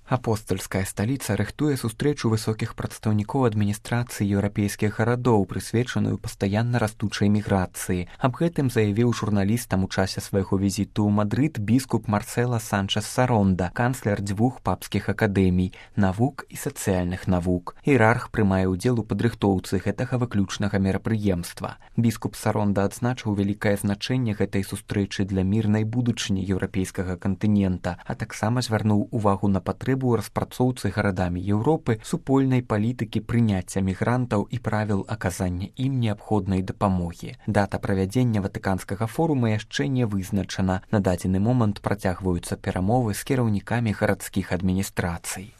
Апостальская сталіца рыхтуе сустрэчу высокіх прадстаўнікоў адміністрацыі еўрапейскіх гарадоў, прысвечаную пастаянна растучай міграцыі. Аб гэтым заявіў журналістам у часе свайго візіту ў Мадрыд біскуп Марсела Санчес Саронда, канцлер дзвюх папскіх акадэмій навук і сацыяльных навук. Іерарх прымае ўдзел у падрыхтоўцы гэтага выключнага мерапрыемства. Біскуп Саронда адзначыў вялікае значэнне гэтай сустрэчы для мірнай будучыні еўрапейскага кантынента, а таксама звярнуў увагу на патрэбу у распрацоўцы гарадамі Еўропы супольнай палітыкі прыняцця мігрантаў і правіл аказання ім неабходнай дапамогі. Дата правядзення ватыканскага форума яшчэ не вызначана. На дадзены момант працягваюцца перамовы з кіраўнікамі гарадскіх адміністрацый.